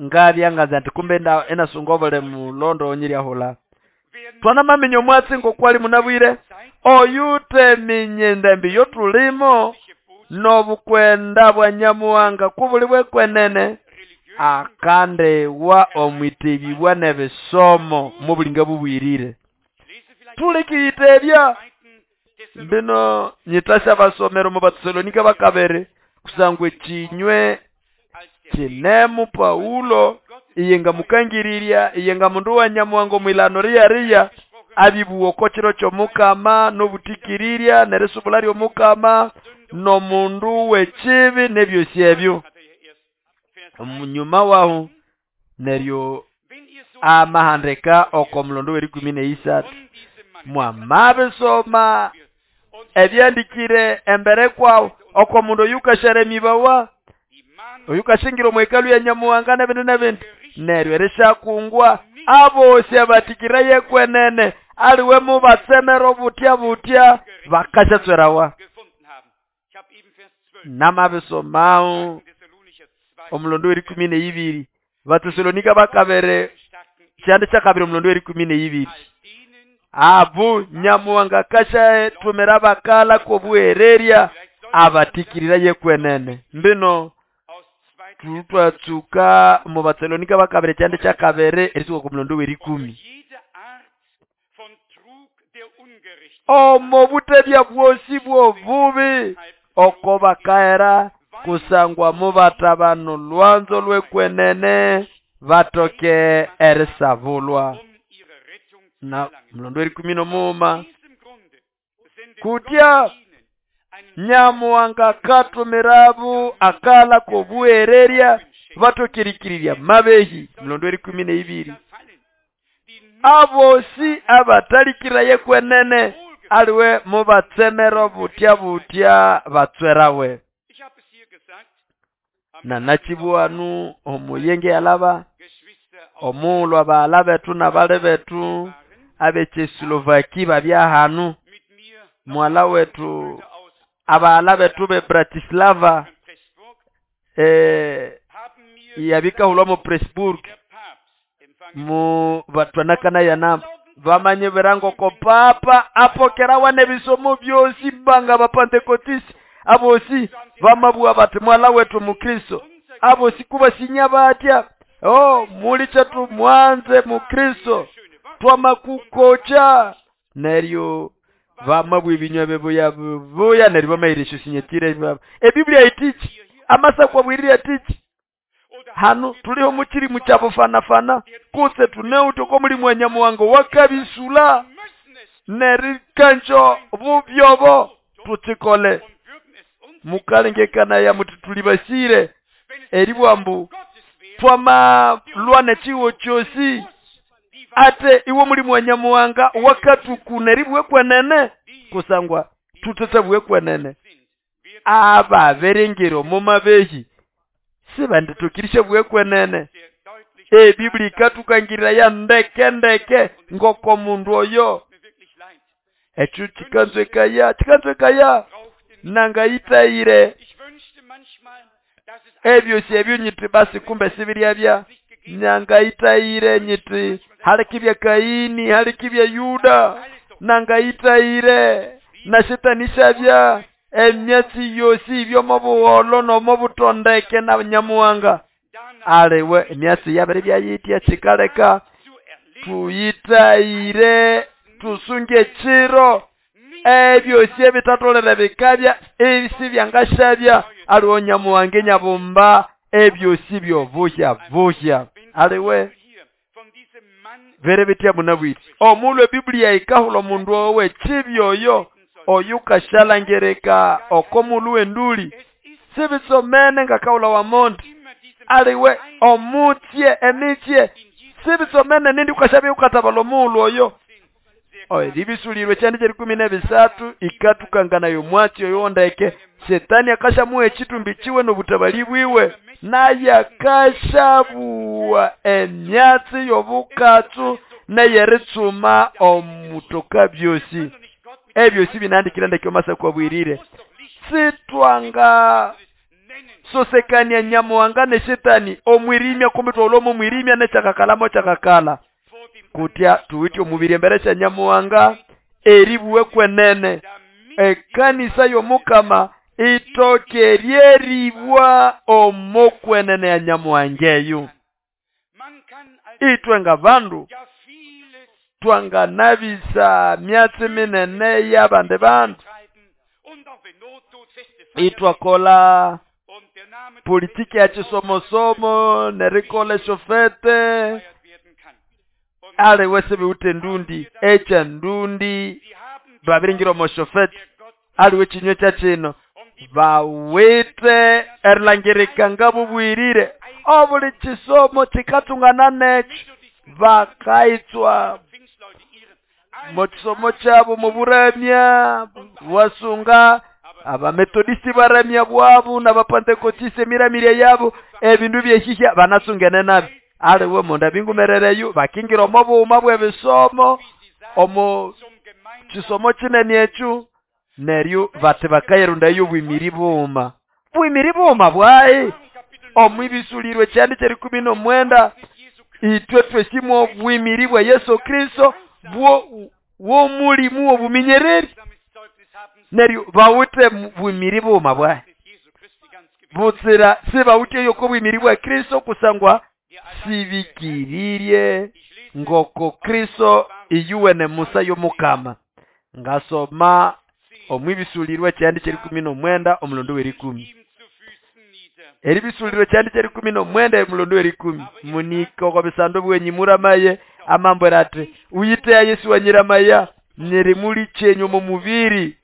ngabyangaza nti kumbe enasunga obule mulondo onyiryahula. Twanamaminya omwatsi ngokwali munabwire oyuteminya endembi yotulimo n'obukwenda bwa Nyamuhanga kubuli bwekwenene akandewa omwitebibwa n'ebisomo mubulinga bubwirire. Tulikiyitebya bino nyitasya basomero mu Batesalonika bakabere kusangwa ekinywe kinemu Paulo iyenga mukangirirya iyenga mundu wa Nyamuhanga omwilano riyariya abibuwa oko kiro ky'omukama n'obutikirirya n'erisubula ly'omukama n'omundu w'ekibi n'ebyosi ebyo. Omunyuma wahu neryo amahandika oko mulondo w'erikumi n'eisathu mwamabisoma ebyandikire embere kwawu oko mundu oyukashara emibawa oyukashingira omwekalu ya Nyamuhanga n'ebindi n'ebindi neryo erishakungwa abosi abatikira yekwenene aliwe mubatsemera obutya butya bakasyatswerawa. Namabisomawo omulondo w'erikumi n'eibiri Batesalonika bakabere kyandi kyakabiri omulondo w'erikumi n'eibiri abu Nyamuhanga kashatumira bakala k'obuhererya abatikirira yekwenene. Mbino tutwatsuka mu Batesalonika bakabere kyandi kyakabere erisuka ku mulondo w'erikumi. Omo butebya bwosi bw'obubi oko bakahera kusangwa mubatabano lwanzo lwekwenene batoke erisabulwa. Na mulondo w'erikumi n'omuuma kutya Nyamuhanga katumirabu akala k'obuhererya batokerikirirya mabehi. Mulondo w'erikumi n'eibiri abosi abatalikira yekwenene aliwe mubatsemero butya butya batswerawe. Nanakibwanu omuyenge yalaba omulwa baala betu n'abale betu ab'ekyeslovaki babyahanu mwala wetu abaala betu be Bratislava yabikahulwa mu Pressburg mu batwanakana yanamba bamanye birango ko papa apokerawa n'ebisomo byosi banga bapantekotisi abosi bamabwa bati mwala wetu mukristo abosi kubasinya batya oh mulicha mwanze mukristo twamakukocha neryo bamabwa ebinywa bebuya buya neryo bamairisha sinyetire ebiblia itichi amasa kwabwirira tichi hano tuliho mukiri mukyabufana-fana kutse tuneuto ko mulimu wa Nyamuhanga wakabisula nerikanjo bubyobo tutikole mukalengekana ya muti tulibasire eribwambu twamalwa chiwo kyosi ate iwo mulimu wa Nyamuhanga wakatukuna eribwe kwenene kusangwa Tutethabughe kwenene ababiringira omo mabehi sibanditokirishabughe kwenene. Ebiblia ikatukangirira ya ndeke ndeke ngoko mundu oyo ekyo chikanzwekaya nangayitayire ebyosi ebyo nyiti basi kumbe sibiryabya nyangayitayire nyiti halikibya Kaini halikibya Yuda nangayitayire na shetani shabya emyatsi yosi ibyomobuholo nomobutondeke na Nyamuhanga aliwe emyatsi yabere byayitya chikaleka tuyitayire tusunge echiro ebyosi ebitatolere bikabya ebisi byangashabya aliwo Nyamuhanga nyabumba ebyosi byobuhya buhya aliwe bere bitya munabwiti omulwe Biblia ikahula omundu owe chibyoyo oyukashalangereka okomulu wenduli sibisomene ngakahula wa mondi aliwe omutye emitye sibisomene nindi ukashabya ukatabala omulu oyo eribisulirwe kyandi kyerikumi nebisatu ikatukanganayo mwatsi oyo ndeke Shetani akashamuha echitumbi chiwe nobutabali bwiwe naye akashabuwa emyatsi y'obukatsu neyeritsuma omutoka byosi ebyosi binandikira ndeke omasa kwabwirire sitwanga sosekania Nyamuhanga ne Shetani omwirimya kumbe twaulomo mwirimya nechakakalamo chakakala kutya tuwitye omubiri embere sya Nyamuhanga eribuwe kwenene ekanisa y'omukama itoke ryeribwa omokwenene ya Nyamuhanga eyo. Itwe nga bandu twanganabisa myatsi minene y'abandi bandu itwakola politiki ya chisomosomo nerikola eshofete aliwe sibiwute ndundi echa ndundi babiringira omoshofete aliwe chinywe kya chino bawite erilangirika ngabubwirire obuli chisomo chikatungana necho bakaitswa mochisomo chabo muburamya wasunga abametodisti baramya bwabu n'abapantekotiste emiramire yabo ebindu byehihya banasungene nabi aliwe munda bingumerereyo bakingira omo buuma bw'ebisomo omo chisomo chinene ekyo neryo bati bakayirundayo obwimiri buuma bwimiri buuma bwayi omwibisulirwe kyandi kyerikumi n'omwenda itwe twesimu obwimiri bwa Yesu Kristo bwo womulimu obuminyereri neryo bawite bwimiri buuma bwayi butsira sibawite yoko bwimiri bwa Kristo kusangwa sibikirirye ngoko Kristo iyuwene Musa y'omukama. Ngasoma omwibisulirwe kyandi kyerikumi n'omwenda omulondo w'erikumi eribisulirwe kyandi kyerikumi n'omwenda omulondo w'erikumi munika bisando bwenyi muramaye amambwera ati uyitea Yesu wanyiramaya nyeri muli chenyu mu mubiri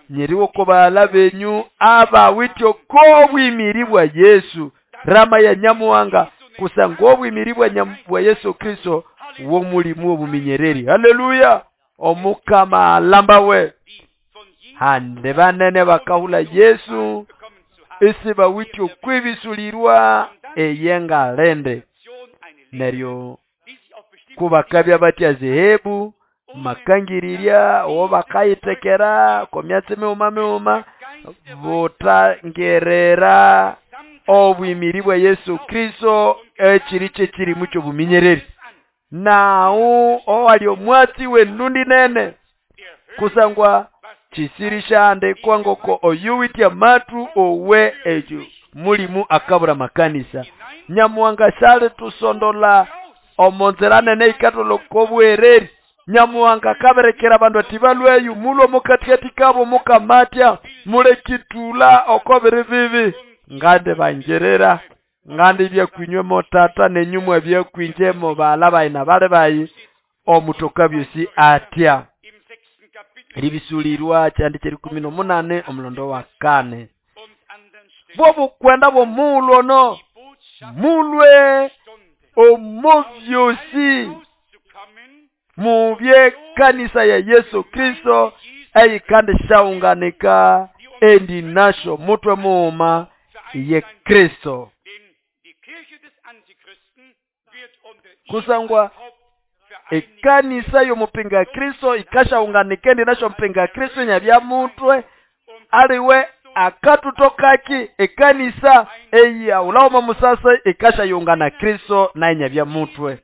nyeriwo ko baala benyu abawityo kobwimiri bwa Yesu rama ya Nyamuhanga kusangwa obwimiri bwa Yesu Kristo womulimu obuminyereri. Haleluya omukama alambawe hande banene bakahula Yesu isi bawityo kwibisulirwa eyengalende neryo kubakabya batya zehebu makangirirya owo bakayitekera komyatsi miuma miuma butangerera obwimiri bwa Yesu Kristo ekiri kyekirimu kyobuminyereri nawu owali omwatsi wendundi nene kusangwa chisirisha ngoko oyuwitya matu owe ekyo mulimu akabura makanisa. Nyamuhanga shali tusondola omonzera nene ikatolo kobwereri. Nyamuhanga kaberekera abandu ati balweyu mulwo mukatikati kabo mukamatya mulekitula okobiri bibi ngande bangerera ngande byakwinywemo tata nenyumwa byakwinjemo bala bayina bale bayi omutoka byosi atya. Ribisulirwa kyandi kyerikumi n'omunane omulondo wa kane bwobukwenda bw'omulwo no mulwe omo byosi mubye kanisa ya Yesu Kristo Eyikandisyaunganika endi nasyo mutwe mughuma ye Kristo. Kusangwa ekanisa y'omupinga Kristo ikasyaunganika endi nasyo mupinga Kristo inyabya mutwe aliwe akatutokaki ekanisa eyaghulawo omo musasi ikasyayungana Kristo naye inyabya mutwe.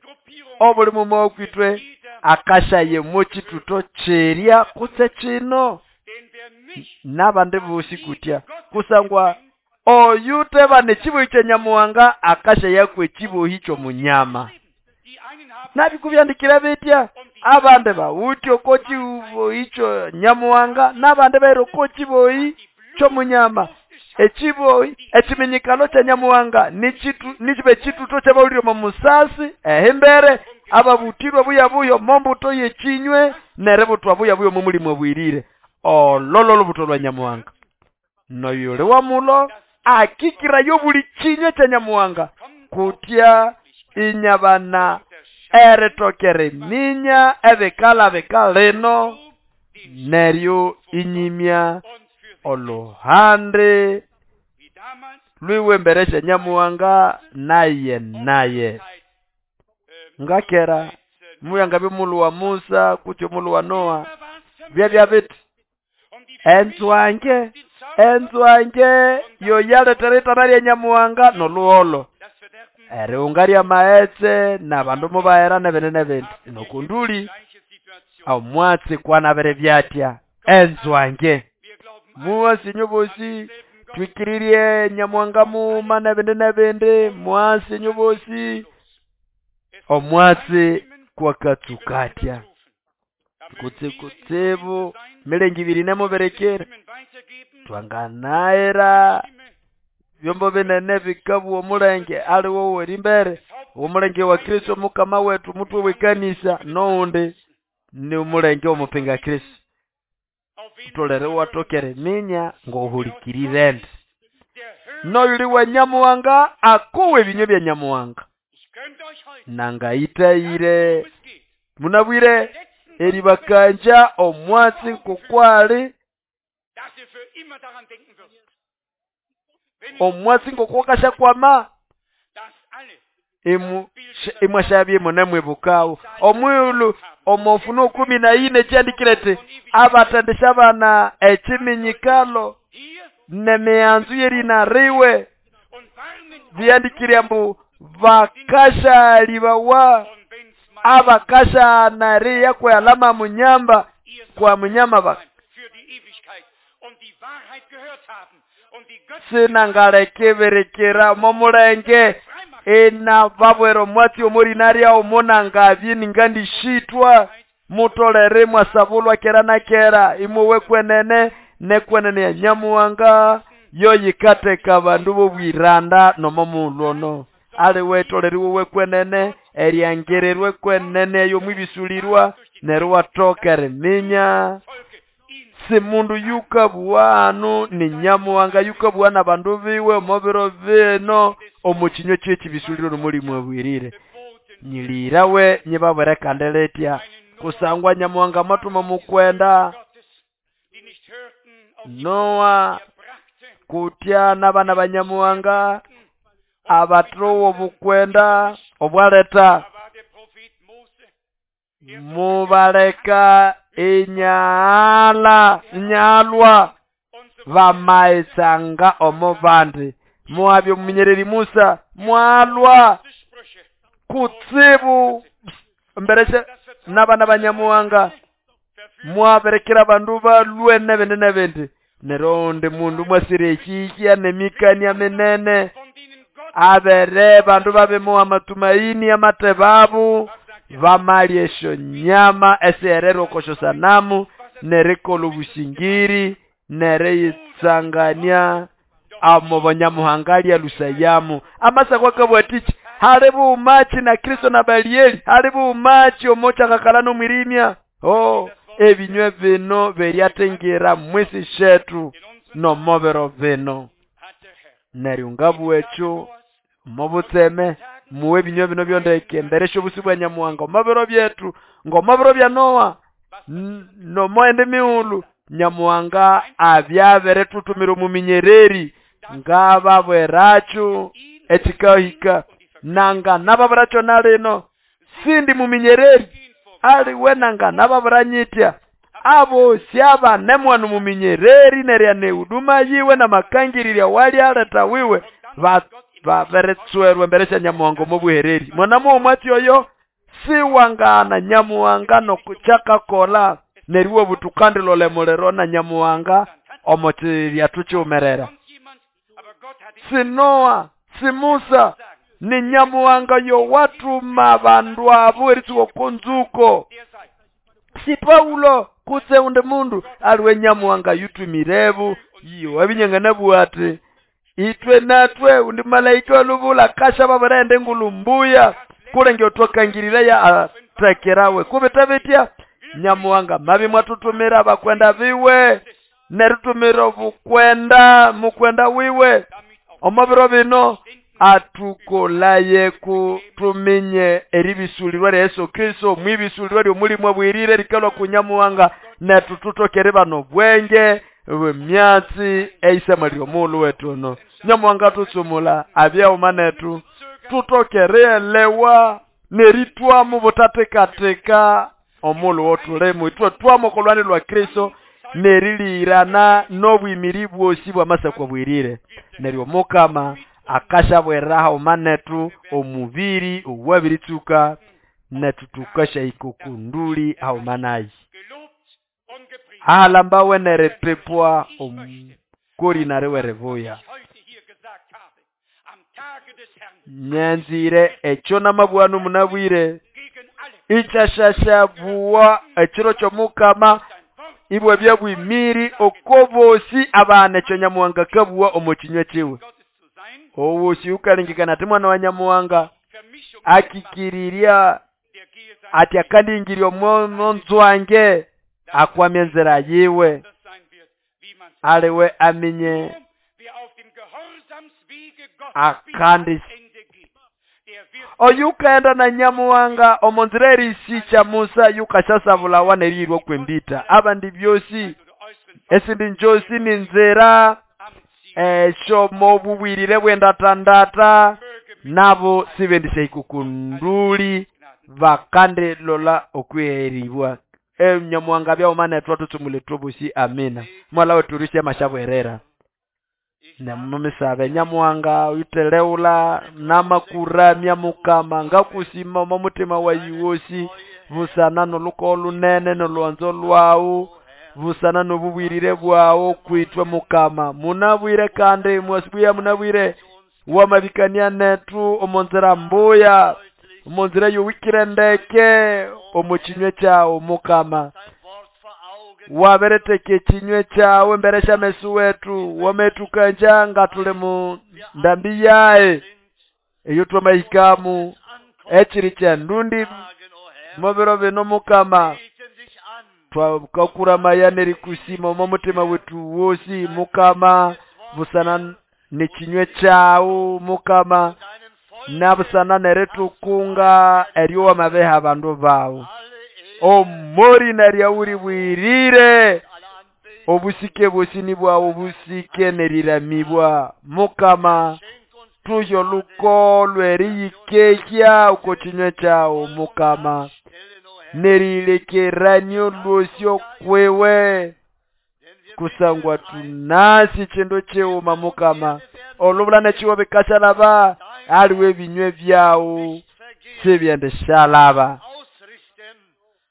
Obuli mughuma wakwitwe akasyaye chituto kyerya kutse kino n'abandi bosi kutya kusangwa oyu tebana ekibohi kya Nyamuhanga akasyayaku ekibohi ky'omunyama. Nabikubyandikira bitya abandi bawithe oko kibohi kya Nyamuhanga n'abandi baira oko kibohi ky'omunyama. Ekibohi ekiminyikalo kya Nyamuhanga nikiba ekituto ky'abawulire omo musasi ehimbere ababutirwe buyabuya omo mbuto y'ekinywe neributwa buyabuya omo mulimu obwirire. Ololo olubuto lwa Nyamuhanga. Noyuli wamulo akikirayo buli kinywe kya Nyamuhanga kutya inyabana eritokera eminya ebikala bikalino neryo inyimya oluhande lwiwe embere sya Nyamuhanga naye naye. Ngakera muyanga byomulhu wa Musa kutse omulhu wa Noa byabya biti enzwange enzwange yoyaletera itana lya Nyamuhanga n'olhuholo erighunga ly'amaghetse n'abandu mubaghera n'ebindi n'ebindi. Nokunduli omwatsi kwanabere byatya enzwange muwasi inyu bosi twikirirye Nyamuhanga mughuma n'ebindi n'ebindi mwasi inyu bosi omwatsi kwakatsukatya kutse kutsibu milengi ibiri nemuberekera twanganaira byombo binene bikabwa omulenge aliwo werimbere omulenge wa Kristo mukama wetu mutwe w'ekanisa n'owundi ni omulenge w'omupinga Kristo. Utolere watokere minya ng'ohulikirire ndi noyuli wa Nyamuhanga akowe ebinywe bya Nyamuhanga nangayitayire munabwire eribakanja omwatsi ng'okwali omwatsi ng'okwakasyakwama imwasyabya munemwibukawo omwighulhu omo Ufunuo 14 kyandikire ati abatendesya abana ekiminyikalo n'emihanzu y'erinariwe byandikire ambu bakasyalibawa abakasyanariya kwalama munyamba kwa munyama ba sinangalekibirikira momulenge ina babwera omwatsi omorinarya omonangabye ningandishitwa mutolere mwasabulwa kera na kera imwe kwenene nekwenene ya Nyamuhanga yoyikateka abandu b'obwiranda nomo mulwono aliwe toleriwe kwenene eryangererwe kwenene ey'omwibisulirwa neryo watoka eriminya si mundu yukabuwa anu ni Nyamuhanga yukabuwa n'abandu biwe omo biro bino omu kinywa ky'ekibisuliro n'omulimu obwirire nyilirawe nyibabwere kandi litya kusangwa Nyamuhanga mwatuma mukwenda Noa kutya n'abana ba Nyamuhanga abathowa obukwenda obwaleta mubaleka inyalwa bamaitsanga omo bandi muhabya omuminyereri Musa mwalwa kutsibu mberesha n'abana ba Nyamuhanga mwaberekera abandu balwe n'ebindi n'ebindi neryo undi mundu mwasire ekihya n'emikania minene abere bandu babimuha amatumaini amatebabo bamalya esyo nyama esihererwa oko syosanamu nerikolha obusingiri neriyitsangania amo banyamuhanga lya lusayamu. Amasako akabugha atichi hali bumachi na Kristo na Balieli hali bumachi omochakakala n'omwirimya oh ebinywe bino beryatengira mwisi shetu nomobero bino neryo ngabugha ekyo mobutseme muwe ebinywe bino byondeke emberesya obusi bwa Nyamuhanga omobiro byetu ng'omobiro bya Noa nomoende mighulhu Nyamuhanga abyabirithutumira omuminyereri ngababwirakyo ekikahika nanga nababwirakyo na lino sindi muminyereri aliwe nanga nababwiranyitya abosi abanemwana omuminyereri nerya nehuduma yiwe namakangirirya walyaleta wiwe baberetswerwe embere sya Nyamuhanga omo buhereri. Mwana muwo oyo siwangana Nyamuhanga nokukyakakola neryo obutukandilole muliro na Nyamuhanga omo kiryathu kiwumerera. Si Noa, si Musa, ni Nyamuhanga yowatuma abandu abo eritsuka oko nzuko. Si Paulo kutse undi mundu aliwe Nyamuhanga yutumirebu iyo abinyangana ati itwe natwe undi malaika walubula kasha babirende engulu mbuya kulenge otwakangirira ya atekerawe kubita bitya Nyamuhanga mabi mwatutumira abakwenda biwe nerutumira obukwenda mukwenda wiwe omo biro bino atukolaye kutuminye eribisulirwa lya Yesu Kristo mwibisulirwa lyomulimu abwirire likalwa ku Nyamuhanga netu tutokere bano bwenge bwemyatsi eisema lyomulu wetu ono. Nyamuhanga tutsumula abyauma netu tutokere elewa neritwamu butatekateka omulu wotulemu itwe twamokolwani lwa Kristo nerilirana nobwimiri bwosi bwamasakwa bwirire neryo Mukama akashabweraha omanetu omubiri owabiritsuka netu tukashahika kunduli aumanayi ahalambawe nerepepwa omukori nariwerevuya. Nyanzire ekyo namabwanu munabwire ikyashashabuwa ekiro ky'Omukama ibwe byabwimiri okobosi abana ekyo Nyamuhanga kabuwa omo kinywa kiwe. Owosi ukalengekana ati mwana wa Nyamuhanga akikirirya ati akandingirya omonzwange akwamya enzira yiwe aliwe aminye akandi oyukaenda na Nyamuhanga omonzira erisicha Musa yukashasabulawa nerirwa kwembita abandi byosi esindi njosi ni nzira eshomo bubwirire bwendatandata nabo sibendisha ikukunduli bakande lola okweribwa. Nyamuhanga byaumane twatutsumule tubusi amina. Mwala weturishe mashabwerera namumisabe Nyamuhanga uyiteleula namakuramya Mukama ngakusima omutima wayiwosi busana noluko lunene nolwanzo lwawu busana nobubwirire bwawo kwitwe Mukama munabwire kandi mwasibuya munabwire wamabikania netu omonzera mbuya omonzera yowikire ndeke omukinywe kyawo Mukama wabereteke ekinywe kyawe mbere syamesu wetu wametukanja nga tuli mu ndambi yae eyo twamahikamu ekiri kyandundi mubiro bino Mukama twakakuramaya nerikusima omo mutima wetu wosi Mukama busana nekinywe kyawu Mukama nabusana neretukunga eryo wamabeha abandu bawu omori naryauri bwirire obusike bwosini bwawu busike neriramibwa Mukama tuyo luko lweriyikehya uko kinywe kyawu Mukama nerilekeranyo lwosyo kwewe kusangwa tunasi chindo chiuma Mukama olubulana chiwo bikashalaba aliwe binywe byawu sibyendeshalaba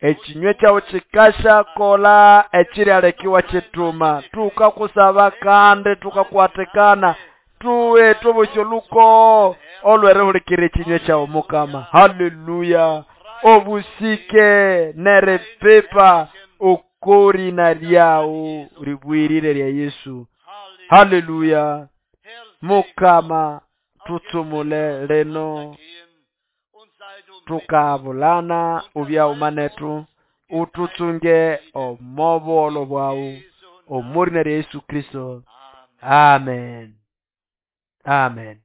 ekinywe kyawu kikasha kola ekiryalekiwa kituma tukakusaba kandi tukakwatikana tuwe tubusyo luko olwerehulikira ekinywe kyawu Mukama. Haleluya. Obusike nerepepa okorina lyawu ribwirire lya Yesu. Haleluya. Mukama tutsumule leno tukabulana ubyaumanetu ututsunge omobolo bwawu omurina lya Yesu Kristo. Amen. Amen.